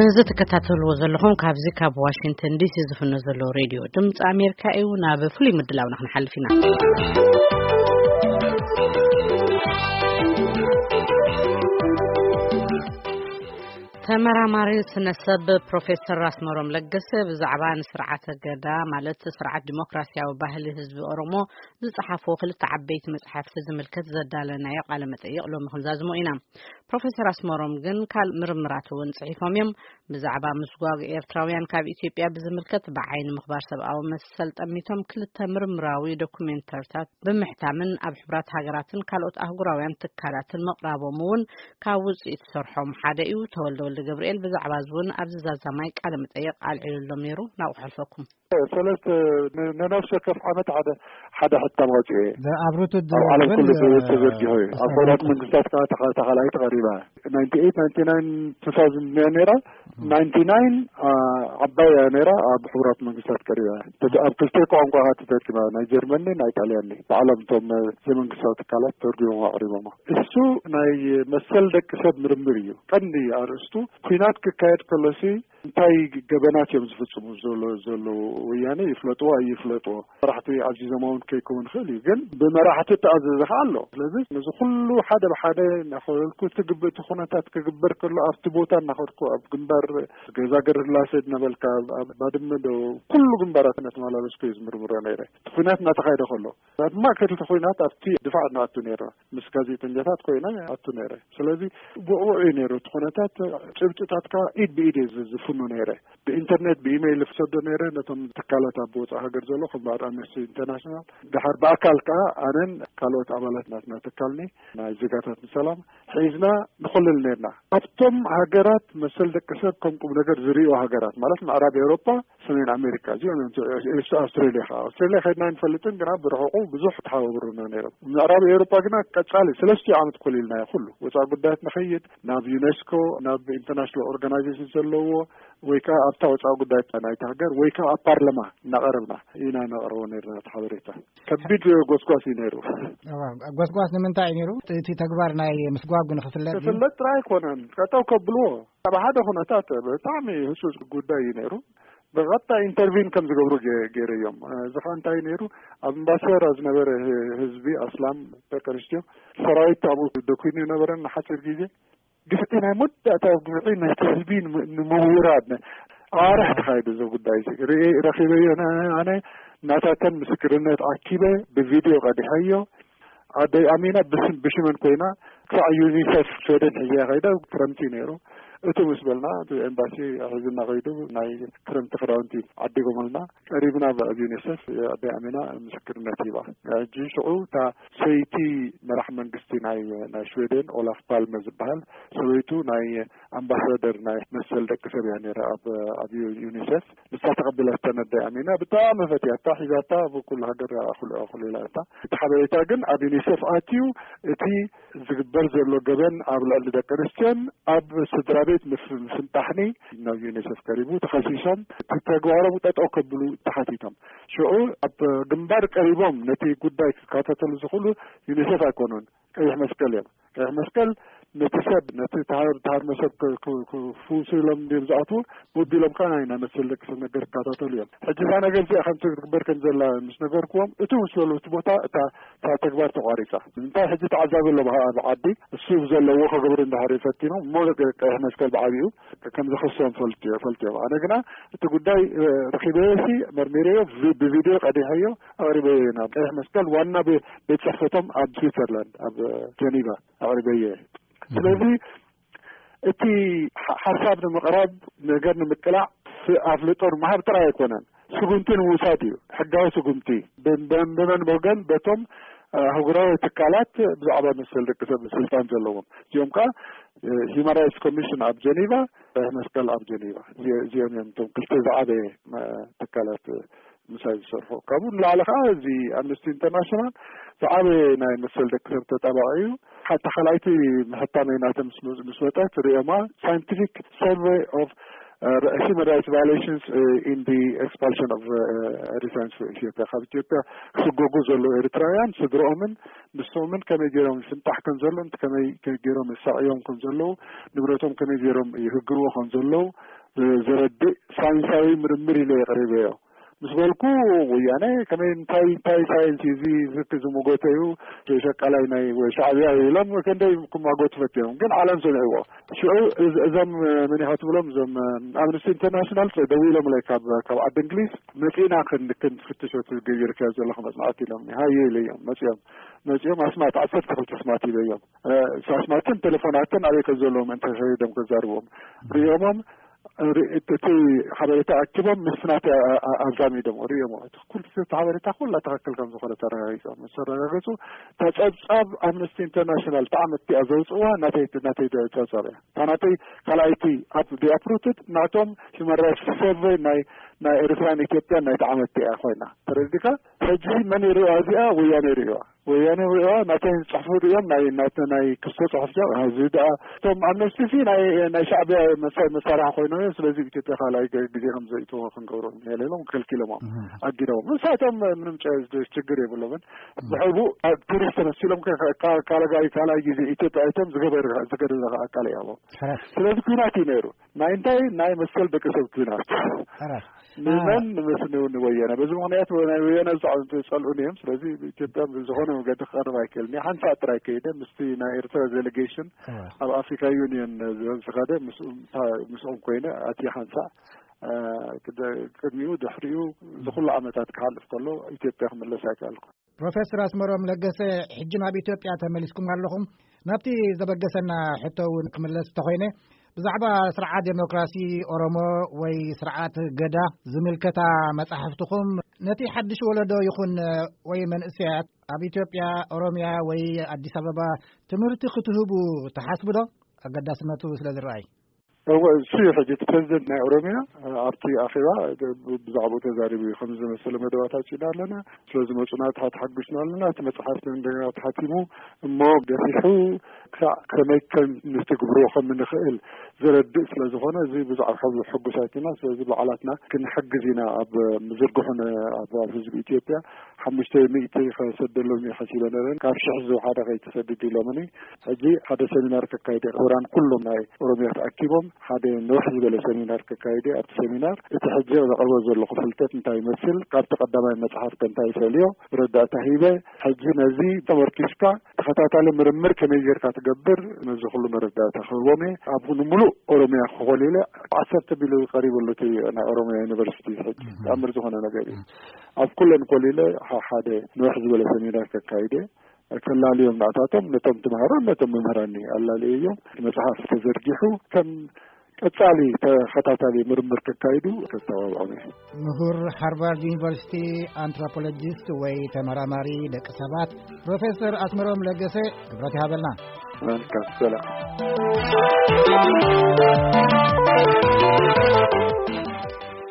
እዚ ትከታተልዎ ዘለኹም ካብዚ ካብ ዋሽንግተን ዲሲ ዝፍኖ ዘሎ ሬድዮ ድምፂ ኣሜሪካ እዩ። ናብ ፍሉይ ምድላውና ክንሓልፍ ኢና። ተመራማሪ ስነ ሰብ ፕሮፌሰር ኣስመሮም ለገሰ ብዛዕባ ንስርዓተ ገዳ፣ ማለት ስርዓት ዲሞክራሲያዊ ባህሊ ህዝቢ ኦሮሞ፣ ዝጸሓፍዎ ክልተ ዓበይቲ መጽሓፍቲ ዝምልከት ዘዳለናዮ ቃለ መጠይቕ ሎሚ ክንዛዝሞ ኢና። ፕሮፌሰር ኣስመሮም ግን ካልእ ምርምራት እውን ጽሒፎም እዮም። ብዛዕባ ምስጓግ ኤርትራውያን ካብ ኢትዮጵያ ብዝምልከት ብዓይኒ ምኽባር ሰብኣዊ መሰል ጠሚቶም ክልተ ምርምራዊ ዶኩሜንተርታት ብምሕታምን ኣብ ሕቡራት ሃገራትን ካልኦት ኣህጉራውያን ትካላትን ምቕራቦም እውን ካብ ውጽኢት ስርሖም ሓደ እዩ። ተወልደ ወልደ ገብርኤል ብዛዕባ እዚ እውን ኣብዚ ዛዛማይ ቃለ መጠይቕ ኣልዒሉሎም ነይሩ። ናብኡ ከሕልፈኩም። ሰለስተ ን-፣ ንነፍሲ ወከፍ ዓመት ሓደ፣ ሓደ ሕታም ኣውጺኤ እየ። ኣብ ሩትድ ኣብ ዓለም ግን፣ ኩሉ ተ-፣ ተዘርጊሑ እዩ። ኣብ ሕቡራት መንግስታት ከዓ ተኻ-፣ ተኻልኣይቲ ቀሪባ። ናይንቲ ኤይት፣ ናይንቲ ናይን፣ ቱ ታውዘንድ እያ ነይራ። ናይንቲ ናይን፣ አ፣ ዓባይ እያ ነይራ፣ ኣብ ሕቡራት መንግስታት ቀሪባ እያ። ተተ-፣ ኣብ ክልተ ቋንቋ ተተርጊማ፣ ናይ ጀርመን፣ ናይ ጣልያን። ባዕሎም እቶም፣ እ፣ ዘይመንግስታዊ ትካላት ተርጉሞም ኣቕሪቦሞ። እሱ ናይ መሰል ደቂ ሰብ ምርምር እዩ። ቀንዲ ኣርእስቱ፣ ኲናት ክካየድ ከሎሲ እንታይ ገበናት እዮም ዝፍጽሙ ዘሎ-፣ ዘለዉ? ወያነ ይፍለጥዎ ኣይፍለጥዎ፣ መራሕቲ ኣዚዞም እውን ከይከውን ይኽእል እዩ። ግን ብመራሕቲ እተኣዘዘ ኸዓ ኣሎ። ስለዚ ነዚ ኩሉ ሓደ ብሓደ እናኸለልኩ፣ እቲ ግብ-፣ እቲ ኩነታት ክግበር ከሎ ኣብቲ ቦታ እናኸድኩ፣ ኣብ ግንባር ገዛ ገርላሰ እናበልካ፣ ኣብ ባድመ ዶ፣ ኩሉ ግንባራት እናተመላለስኩ እየ ዝምርምሮ ነይረ። እቲ ኲናት እናተኻየደ ከሎ፣ ኣብ ማእከል እቲ ኲናት ኣብቲ ድፋዕ ንኣቱ ነይርና። ምስ ጋዜጠኛታት ኮይነ ኣቱ ነይረ። ስለዚ ብቑዕ እዩ ነይሩ እቲ ኩነታት። ጭብጥታትካ ኢድ ብኢድ እየ ዝ-፣ ዝፍኑ ነይረ። ብኢንተርኔት፣ ብኢሜይል ዝሰዶ ነይረ ነቶም ትካላት ኣብ ወጻኢ ሃገር ዘሎ፣ ከም በዓል ኣምነስቲ ኢንተርናሽናል። ድሓር ብኣካል ከኣ ኣነን ካልኦት ኣባላት ናትና ትካልኒ፣ ናይ ዜጋታት ንሰላም፣ ሒዝና ንኹልል ነይርና። ኣብቶም ሃገራት መሰል ደቂ ሰብ ከም ቁም ነገር ዝርእዩ ሃገራት፣ ማለት ምዕራብ ኤውሮጳ፣ ሰሜን ኣሜሪካ፣ እዚኦም እዮም። እቲ ኤስ-፣ ኣውስትሬልያ ኸዓ፣ ኣውስትሬልያ ከድና ኣይንፈልጥን፣ ግና ብርሑቑ ብዙሕ ተሓባብሩና ነይሮም። ምዕራብ ኤውሮጳ ግና ቀጻሊ ሰለስቲኡ ዓመት ኮሊልናዮ። ኩሉ ወጻኢ ጉዳያት ንኸይድ፣ ናብ ዩኔስኮ፣ ናብ ኢንተርናሽናል ኦርጋናይዜሽን ዘለዎ፣ ወይ ከኣ ኣብታ ወጻኢ ጉዳያት ናይቲ ሃገር፣ ወይ ከኣ ኣብ ፓርላማ እናቐረብና ኢና ነቕርቦ ነይርና እቲ ሓበሬታ። ከቢድ ጎስጓስ እዩ ነይሩ። እዋ፣ ጎስጓስ ንምንታይ እዩ ነይሩ? እቲ ተግባር ናይ ምስጓጉ ንኽፍለጥ ድዩ? ክፍለጥ ጥራይ ኣይኮነን፣ ጠጠው ከብልዎ። ኣብ ሓደ ኩነታት ብጣዕሚ ህጹጽ ጉዳይ እዩ ነይሩ። ብቐጥታ ኢንተርቪን ከም ዝገብሩ ገ-፣ ገይረዮም። እዚ ኸኣ እንታይ ነይሩ? ኣብ እምባሰራ ዝነበረ ህ-፣ ህዝቢ ኣስላም ደቂ ኣንስትዮ ሰራዊት ኣብኡ ደኲኑ ነበረን ንሓጺር ግዜ። ግፍዒ ናይ መወዳእታ ግፍዒ ነቲ ህዝቢ ንም-፣ ንምውራድ ነ-፣ ኣዋርሕ ተኻይዱ እዚ ጉዳይ እዚ። ርኢ-፣ ረኺበዮ ነ-፣ ኣነ ናታተን ምስክርነት ኣኪበ ብቪድዮ ቀዲሐዮ። ኣደይ ኣሚና ብስም፣ ብሽመን ኮይና ክሳዕ ዩኒሴፍ ሽወደን ሒዘያ ከይዳ። ክረምቲ ነይሩ። እቱ ምስ በልና እቲ ኤምባሲ ሒዙና ከይዱ ናይ ክረምቲ ክዳውንቲ ዓዲጎምልና። ቀሪብና ኣብ ዩኒሴፍ ኣደይ ኣሚና ምስክርነት ሂባ። ሕጂ ሽዑ እታ ሰይቲ መራሕ መንግስቲ ናይ፣ ናይ ሽወደን ኦላፍ ፓልመ ዝበሃል፣ ሰበይቱ ናይ ኣምባሳደር ናይ መሰል ደቂ ሰብ እያ ነይራ ኣብ፣ ኣብ ዩ-፣ ዩኒሴፍ። ንሳ ተቐቢላታ ኣደይ ኣሚና፣ ብጣዕሚ ፈትያታ፣ ሒዛታ ኣብ ኩሉ ሃገር ኣኹል-፣ ኣኹሊላታ። እቲ ሓበሬታ ግን ኣብ ዩኒሴፍ ኣትዩ፣ እቲ ዝግበር ዘሎ ገበን ኣብ ልዕሊ ደቂ ኣንስትዮን ኣብ ስድራ ቤት ምፍ-፣ ምፍንጣሕኒ ናብ ዩኒሴፍ ቀሪቡ፣ ተኸሲሶም እቲ ተግባሮም ጠጠው ከብሉ ተሓቲቶም። ሽዑ ኣብ ግንባር ቀሪቦም ነቲ ጉዳይ ክከታተሉ ዝኽእሉ ዩኒሴፍ ኣይኮኑን፣ ቀይሕ መስቀል እዮም። ቀይሕ መስቀል ነቲ ሰብ፣ ነቲ ተሃር-፣ ተሃርሞ ሰብ ክ-፣ ክ-፣ ክፍውሱ ኢሎም ድዮም ዝኣትዉ? ወቢሎም ከኣ ናይ፣ ናይ መሰል ደቂ ሰብ ነገር ክከታተሉ እዮም። ሕጂ እዛ ነገር እዚኣ ከምቲ ክትግበር ከም ዘላ ምስ ነገርክዎም፣ እቱ ምስ በሉ እቲ ቦታ እታ፣ እታ ተግባር ተቋሪጻ። እንታይ ሕጂ ተዓዛቢ ኣሎ ብሃ-፣ ኣብ ዓዲ፣ እሱ ዘለዎ ክገብሩ እንዳሃሩ ፈቲኖም፣ እሞ ቀይሕ መስቀል ብዓቢኡ ከም ዝኸሶም ፈልጥ-፣ ፈልጥዮም። ኣነ ግና እቲ ጉዳይ፣ እ፣ ረኺበዮሲ መርሚረዮ፣ ቪ-፣ ብቪድዮ ቀዲሐዮ ኣቕሪበዮ ናብ ቀይሕ መስቀል ዋና ቤ-፣ ቤት ጽሕፈቶም ኣብ ስዊትዘርላንድ፣ ኣብ ጀኒቫ ኣቕሪበዮ። ስለዚ እቲ ሓ-፣ ሓሳብ ንምቕራብ፣ ነገር ንምቅላዕ፣ ስ-፣ ኣፍልጦ ንምሃብ ጥራይ ኣይኮነን፣ ስጉምቲ ንምውሳድ እዩ። ሕጋዊ ስጉምቲ ብ-፣ ብ-፣ ብመን ወገን? በቶም፣ እ፣ ኣህጉራዊ ትካላት ብዛዕባ መሰል ደቂ ሰብ ስልጣን ዘለዎም። እዚኦም ከኣ፣ እ፣ ሂውማን ራይትስ ኮሚሽን ኣብ ጀኒቫ፣ ቀይሕ መስቀል ኣብ ጀኒቫ። እዚ-፣ እዚኦም እዮም እቶም ክልተ ዝዓበየ፣ እ፣ ትካላት፣ እ፣ ምሳይ ዝሰርሑ። ካብኡ ንላዕሊ ከኣ እዚ ኣምነስቲ ኢንተርናሽናል ዝዓበየ ናይ መሰል ደቂ ሰብ ተጣባቒ እዩ። ሓታ ካልኣይቲ ምሕታመይ ናተ ምስ መ-፣ ምስ መጸት ርእዮማ፣ ሳይንቲፊክ ሰርቨይ ኦፍ human rights violations in the expulsion of Eritreans from Ethiopia. ካብ ኢትዮጵያ ክስጎጉ ዘለዉ ኤርትራውያን ስድርኦምን ንሶምን ከመይ ገይሮም ይፍንጣሕ ከም ዘሎ፣ ከመይ ገይሮም ይሳዕዮም ከም ዘለዉ፣ ንብረቶም ከመይ ገይሮም ይህግርዎ ከም ዘለዉ ዘረድእ ሳይንሳዊ ምርምር ኢለ የቕሪበዮ ምስ በልኩ፣ ወያነ ከመይ፣ እንታይ እንታይ ሳይንስ እዩ እዚ፣ ዝክ ዝመጎተ እዩ፣ ሸቃላይ ናይ ወይ ሻዕብያ እዩ ኢሎም ክንደይ ክማጎቱ ፈትዮም፣ ግን ዓለም ሰሚዕዎ። ሽዑ እዞም መን ኢኻ ትብሎም፣ እዞም ኣምነስቲ ኢንተርናሽናል ደዊሎምለይ ካብ ካብ ዓዲ እንግሊዝ፣ መፂእና ክንፍትሾ ትገብርካ ዘለኹ መፅናዕቲ ኢሎም። ሃየ ኢለዮም። መፂኦም መፂኦም ኣስማት ዓሰርተ ክልተ ኣስማት ሂበዮም። ኣስማትን ቴሌፎናትን ኣበይ ከም ዘለዎም እንተ ከይዶም ከዛርቦም ሪኦሞም፣ እቲ ሓበሬታ ኣኪቦም ምስናት ኣዛሚዶም ሪኦሞ። እቲ ኩሉ እቲ ሓበሬታ ኩላ ትኽክል ከም ዝኾነ ተረጋጊፆም ምስ ተረጋገፁ፣ ተፀብፃብ ኣምነስቲ ኢንተርናሽናል እታ ዓመት እቲኣ ዘውፅእዋ ናተይ ናተይ ፀብፃብ እያ። እታ ናተይ ካልኣይቲ ኣብ ዲኣፕሩትድ ናቶም ሂማን ራይትስ ሰርቨይ ናይ ናይ ኤርትራን ኢትዮጵያን ናይቲ ዓመት እቲኣ ኮይና ተረዲካ። ሕጂ መን ይሪኦ እዚኣ? ወያነ ይሪኦ። ወያነ ሪኦ ናተን ዝፅሕፉ ሪኦም ናይ ናተ ናይ ክስቶ ፅሑፍ ዚኣ እዚ ደኣ እቶም ኣምነስቲ ሲ ናይ ናይ ሻዕብያ መሳ- መሳርሒ ኮይኖም እዮም። ስለዚ ኢትዮጵያ ካልኣይ ገ- ግዜ ከም ዘእትዎ ክንገብሮ ንሄለ ኢሎም ከልኪሎሞም ኣጊዶም። ንሳቶም ምንም ጨ- ችግር የብሎምን። ብሕቡ ኣብ ቱሪስት ተመሲሎም ከ- ካ- ካልጋይ ካልኣይ ግዜ ኢትዮጵያ ኣይቶም ዝገበር ዝገደለ ኣቃል እዮም። ስለዚ ኩናት እዩ ነይሩ። ናይ እንታይ ናይ መሰል ደቂ ሰብ ኩናት። ንመን ንመስኒ ንወያነ። በዚ ምክንያት ናይ ወያነ ዝፀልኡን እዮም። ስለዚ ኢትዮጵያ ብዝኾነ መገዲ ክቐርብ ኣይክእልን። ሓንሳእ ጥራይ ከይደ ምስቲ ናይ ኤርትራ ዴሌጌሽን ኣብ ኣፍሪካ ዩኒየን ዝኸደ ምስኦም ኮይነ ኣቲ ሓንሳእ ቅድሚኡ ድሕሪኡ ዝኩሉ ዓመታት ክሓልፍ ከሎ ኢትዮጵያ ክምለስ ኣይከኣልኩ። ፕሮፌሰር ኣስመሮም ለገሰ፣ ሕጂ ናብ ኢትዮጵያ ተመሊስኩም ኣለኹም። ናብቲ ዘበገሰና ሕቶ እውን ክምለስ እንተኾይነ፣ ብዛዕባ ስርዓት ዴሞክራሲ ኦሮሞ ወይ ስርዓት ገዳ ዝምልከታ መጻሕፍትኹም ነቲ ሓድሽ ወለዶ ይኹን ወይ መንእሰያት ኣብ ኢትዮጵያ፣ ኦሮምያ ወይ ኣዲስ ኣበባ ትምህርቲ ክትህቡ ትሓስቡ ዶ? ኣገዳስነቱ ስለ ዝረኣይ። እወ፣ እሱ እዩ ሕጂ እቲ ፕሬዚደንት ናይ ኦሮሚያ ኣብቲ ኣኼባ ብዛዕባኡ ተዛሪቡ እዩ። ከምዚ ዝመሰለ መደባት ኣውፂእና ኣለና፣ ስለዝመፁና ተሓጉስና ኣለና። እቲ መፅሓፍ እንደገና ተሓቲሙ እሞ ገፊሑ ክሳዕ ከመይ ከም ንትግብሮ ከም ንኽእል ዘረድእ ስለ ዝኾነ፣ እዚ ብዛዕባ ሕጉሳት ኢና። ስለዚ ባዕላትና ክንሕግዝ ኢና ኣብ ምዝርግሑን ኣብ ህዝቢ ኢትዮጵያ ሓሙሽተ ሚእቲ ከሰደሎም እየ ሓሲበ ነረን። ካብ ሽሕ ዝወሓደ ከይትሰድድ ኢሎምኒ። ሕጂ ሓደ ሰሚናር ከካይደ፣ ምሁራን ኩሎም ናይ ኦሮሚያ ተኣኪቦም ሓደ ንውሕ ዝበለ ሰሚናር ከካይደ። ኣብቲ ሰሚናር እቲ ሕጂ ዘቕርቦ ዘለኹ ፍልጠት እንታይ ይመስል፣ ካብቲ ቀዳማይ መጽሓፍ ከ እንታይ ይፈልዮ፣ ረዳእታ ሂበ። ሕጂ ነዚ ተመርኪስካ ተኸታታሊ ምርምር ከመይ ጌርካ ትገብር፣ ነዚ ኩሉ መረዳእታ ክህቦም እየ። ኣብ ንምሉእ ኦሮሚያ ክኾሊለ ዓሰርተ ቢልዮን ቀሪቡ ኣሎ እቲ ናይ ኦሮሚያ ዩኒቨርሲቲ። ሕጂ ተኣምር ዝኾነ ነገር እዩ። ኣብ ኩለን ኮሊለ ሓደ ንውሕ ዝበለ ሰሚናር ከካይደ፣ ከላልዮም ናታቶም ነቶም ተምሃሮ ነቶም መምህራን ኣላልየዮም። መጽሓፍ ተዘርጊሑ ከም ቀጻሊ ተኸታታሊ ምርምር ከካይዱ ከተባብዖም እየ። ምሁር ሃርቫርድ ዩኒቨርሲቲ ኣንትሮፖሎጂስት ወይ ተመራማሪ ደቂ ሰባት ፕሮፌሰር ኣስመሮም ለገሰ፣ ክብረት ይሃበልና። መልካም ሰላም።